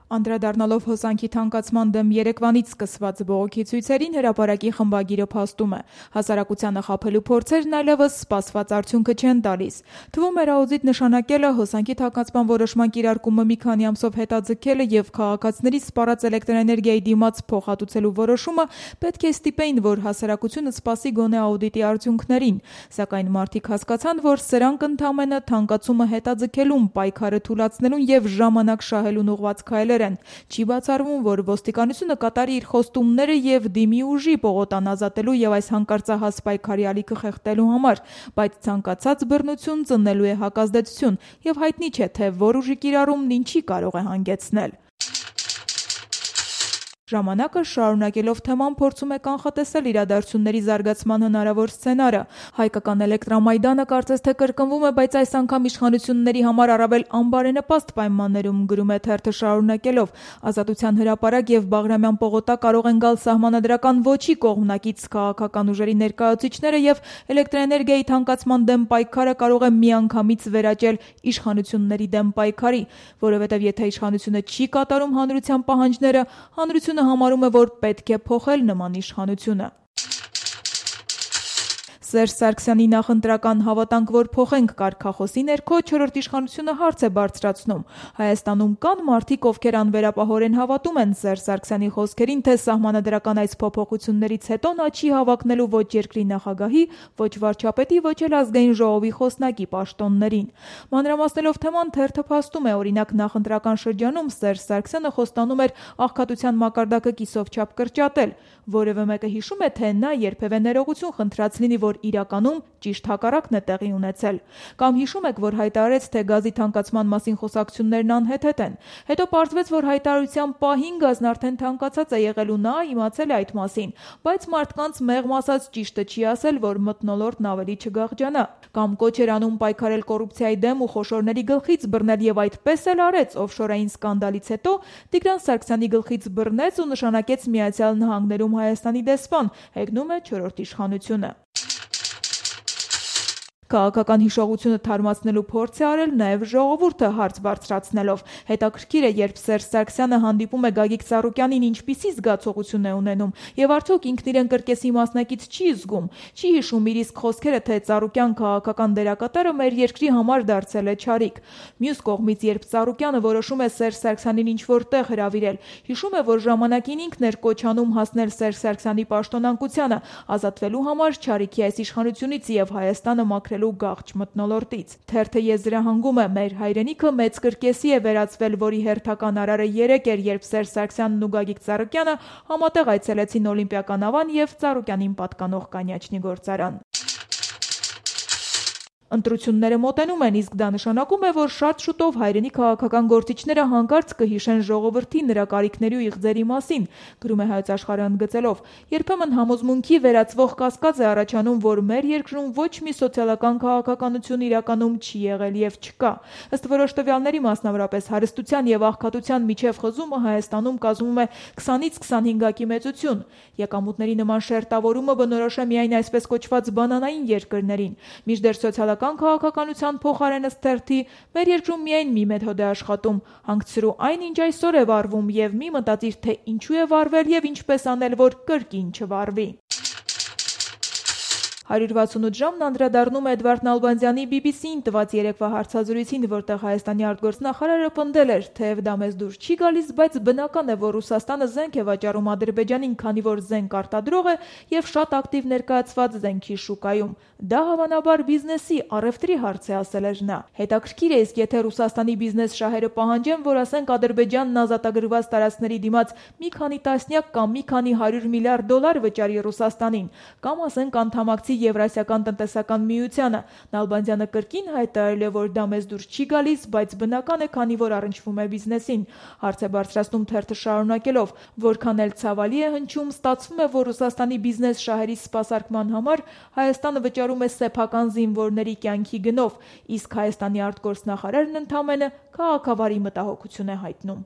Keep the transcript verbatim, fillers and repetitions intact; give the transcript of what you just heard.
Անդրադառնալով հոսանքի թանկացման դեմ Երևանից սկսված բողոքի ցույցերին, հրապարակի խմբագիրը փաստում է. հասարակությանը խաբելու փորձերն այլևս սպասված արդյունքը չեն տալիս։ Թվում էր աուդիտ նշանակելը հոսանքի թանկացման որոշման կիրարկումը մի քանի ամսով հետաձգելը եւ քաղաքացիների սպառած էլեկտրաէներգիայի դիմաց փոխհատուցելու որոշումը պետք է ստիպեին, որ հասարակությունը սպասի գոնե աուդիտի արդյունքներին, սակայն մարդիկ հասկացան, որ սրանք ընդամենը թանկացումը հետաձգելուն, պայքարը թուլացնելուն եւ ժամանակ շահելուն ուղղված քայլեր են։ Չի բացառվում, որ ոստիկանությունը կատարի իր խոստումները եւ դիմի ուժի պողոտան ազատելու եւ այս հանկարծահաս պայքարի ալիքը խեղդելու համար, բայց ցանկացած բռնություն ծնելու է հակազդեցություն եւ հայտնի չէ, թե որ ուժի կիրառումն ինչի կարող է հանգեցնել։ Ժամանակը շարունակելով թեման փորձում է կանխատեսել իրադարձությունների զարգացման հնարավոր սցենարը։ Հայկական էլեկտրամայդանը կարծես թե կրկնվում է, բայց այս անգամ իշխանությունների համար առավել անբարենպաստ պայմաններում, գրում է թերթը շարունակելով. Ազատության հրապարակ եւ Բաղրամյան պողոտա կարող են գալ սահմանադրական ոչի կողմնակից քաղաքական ուժերի ներկայացուցիչները եւ էլեկտրաէներգիայի թանկացման դեմ պայքարը կարող է միանգամից վերաճել իշխանությունների դեմ պայքարի, որովհետեւ եթե իշխանությունը չի կատարում հանրության պահանջները, հանրությունը համարում է, որ պետք է փոխել նման իշխանությունը։ Սերժ Սարգսյանի նախընտրական հավատանք, որ փոխենք կարգախոսի ներքո չորրորդ իշխանությունը հարց է բարձրացնում։ Հայաստանում կան մարդիկ, ովքեր անվերապահորեն հավատում են Սերժ Սարգսյանի խոսքերին, թե սահմանադրական այս փոփոխություններից հետո նա չի հավակնելու ոչ երկրի նախագահի, ոչ վարչապետի, ոչ էլ ազգային ժողովի խոսնակի պաշտոններին։ Մանրամասնելով թեման, թերթը փաստում է, օրինակ նախընտրական շրջանում Սերժ Սարգսյանը խոստանում էր աղքատության մակարդակը կիսով չափ կրճատել։ Որևէ մեկը հիշում է, թե նա երբևէ ներողություն խնդրած լինի, որ իրականում ճիշտ հակառակն է տեղի ունեցել։ Կամ հիշում եք, որ հայտարարեց, թե գազի թանկացման մասին խոսակցություններն անհեթեթ են։ Հետո պարզվեց, որ հայտարարության պահին գազն արդեն թանկացած է եղել ու նա իմացել է այդ մասին, բայց մարդկանց մեղմ ասած ճիշտը չի ասել, որ մթնոլորտն ավելի չգաղջանա։ Կամ կոչ էր անում պայքարել կոռուպցիայի դեմ ու խոշորների գլխից բռնել եւ այդպես էլ արեց, օֆշորային սկանդալից հետո Տիգրան Սարգսյանի գլխից բռնեց ու նշանակեց Միացյալ Նահանգներում Հայաստանի դեսպան, հեգնում է չորրորդ իշխանությունը։ Քաղաքական հիշողությունը թարմացնելու փորձ է արել նաև ժողովուրդը հարց բարձրացնելով։ Հետաքրքիր է, երբ Սերժ Սարգսյանը հանդիպում է Գագիկ Ծառուկյանին, ինչպիսի զգացողություն է ունենում, եւ արդյոք ինքն իրեն կրկեսի մասնակից չի զգում, չի հիշում իր իսկ խոսքերը, թե Ծառուկյան քաղաքական դերակատարը մեր երկրի համար դարձել է չարիք։ Մյուս կողմից, երբ Ծառուկյանը որոշում է Սերժ Սարգսյանին ինչ-որ տեղ հրավիրել, հիշում է, որ ժամանակին ինքն էր կոչանում հասնել Սերժ Սարգսյանի պաշտոնակությանը, ազատվելու համար չարիքի այս իշխանությունից եւ Հայաստանը մաքրել գաղջ մթնոլորտից։ Թերթը եզրահանգում է, մեր հայրենիքը մեծ կրկեսի է վերածվել, որի հերթական արարը երեկ էր, երբ Սերժ Սարգսյանն ու Գագիկ Ծառուկյանը համատեղ այցելեցին Օլիմպիական ավան եւ Ծառուկյանին պատկանող կանյաչնի գործարան։ Ընտրությունները մոտենում են, իսկ դա նշանակում է, որ շատ շուտով հայրենի քաղաքական գործիչները հանկարծ կհիշեն ժողովրդի նրա կարիքների ու իղձերի մասին, գրում է Հայոց Աշխարհը ընդգծելով. երբեմն համոզմունքի վերածվող կասկած է առաջանում, որ մեր երկրում ոչ մի սոցիալական քաղաքականություն իրականում չի եղել եւ չկա։ Ըստ որոշ տվյալների, մասնավորապես հարստության եւ աղքատության միջև խզումը Հայաստանում կազմում է քսանից քսանհինգակի մեծություն։ Եկամուտների նման շերտավորումը բնորոշ է միայն այսպես կոչված բանանային երկրներին։ Մինչդեռ սոցիալ քաղաքականության փոխարենը թերթի մեր երկրում միայն մի մեթոդ է աշխատում՝ հանգցրու այն, ինչ այսօր է վարվում, եւ մի մտածիր, թե ինչու է վարվել եւ ինչպես անել, որ կրկին չվարվի։ հարյուր վաթսունութ ժամն անդրադառնում է Էդվարդ Նալբանդյանի բի բի սիին տված երեկվա հարցազրույցին, որտեղ Հայաստանի արտգործնախարարը պնդել էր, թեև դա մեզ դուր չի գալիս, բայց բնական է, որ Ռուսաստանը զենք է վաճառում Ադրբեջանին, քանի որ զենք արտադրող է եւ շատ ակտիվ ներկայացված զենքի շուկայում։ Դա հավանաբար բիզնեսի, առևտրի հարց է, ասել էր նա։ Հետաքրքիր է, իսկ եթե Ռուսաստանի բիզնես շահերը պահանջեն, որ ասենք Ադրբեջանն ազատագրված տարածքների դիմաց մի քանի տասնյակ կամ մի քանի հարյուր միլիարդ դոլար վճարի Ռուսաստանին, կամ ասենք անդամակցի Եվրասիական տնտեսական միությանը, Նալբանդյանը կրկին հայտարարել է, որ դա մեզ դուր չի գալիս, բայց բնական է, քանի որ առնչվում է բիզնեսին։ Հարց է բարձրացնում թերթը շարունակելով, որքան էլ ցավալի է հնչում, ստացվում է, որ Ռուսաստանի բիզնես շահերի սպասարկման համար Հայաստանը վճարում է սեփական զինվորների կյանքի գնով, իսկ Հայաստանի արտգործնախարարն ընդամենը քաղաքավարի մտահոգություն է հայտնում։